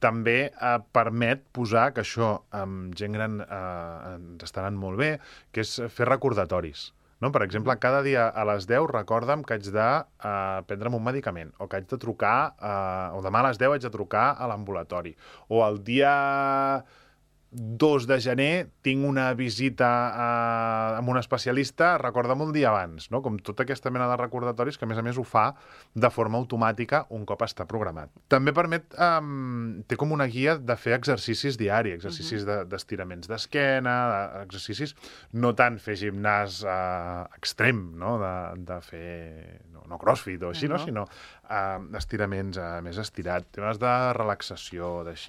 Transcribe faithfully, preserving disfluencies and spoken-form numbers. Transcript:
també eh, permet posar, que això amb gent gran eh, ens estaran molt bé, que és fer recordatoris. No? Per exemple, cada dia a les deu recorda'm que haig de eh, prendre'm un medicament, o que haig de trucar, eh, o demà a les deu haig de trucar a l'ambulatori, o el dia dos de gener tinc una visita a, amb un especialista, recorda'm un dia abans, no? Com tota aquesta mena de recordatoris que, a més a més, ho fa de forma automàtica un cop està programat. També permet, um, té com una guia de fer exercicis diaris, exercicis uh -huh. d'estiraments de, d'esquena, de, exercicis, no tant fer gimnàs uh, extrem, no? De, de fer, no, no crossfit o així, uh -huh. no? Sinó uh, estiraments uh, més estirats, temes de relaxació, d'així.